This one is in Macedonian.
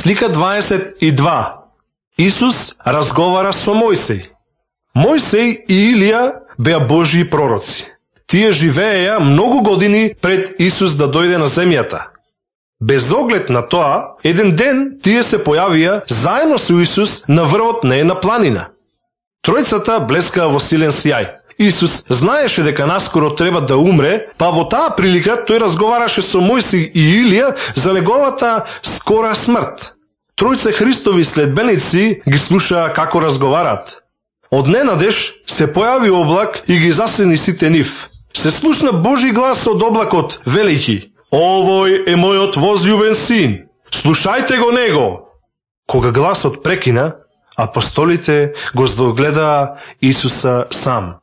Слика 22. Исус разговара со Мојсей. Мојсей и Илија беа Божји пророци. Тие живееја многу години пред Исус да дојде на земјата. Без оглед на тоа, еден ден тие се појавија заедно со Исус на врвот на една планина. Тројцата блескаа во силен сјај. Исус знаеше дека наскоро треба да умре, па во таа прилика тој разговараше со Мојсей и Илија за неговата скора смрт. Тројца Христови следбеници ги слушаа како разговарат. Одненадеж се појави облак и ги засени сите нив. Се слушна Божи глас од облакот, велејќи: "Овој е мојот возљубен син, слушајте го него." Кога гласот прекина, апостолите го здогледаа Исуса сам.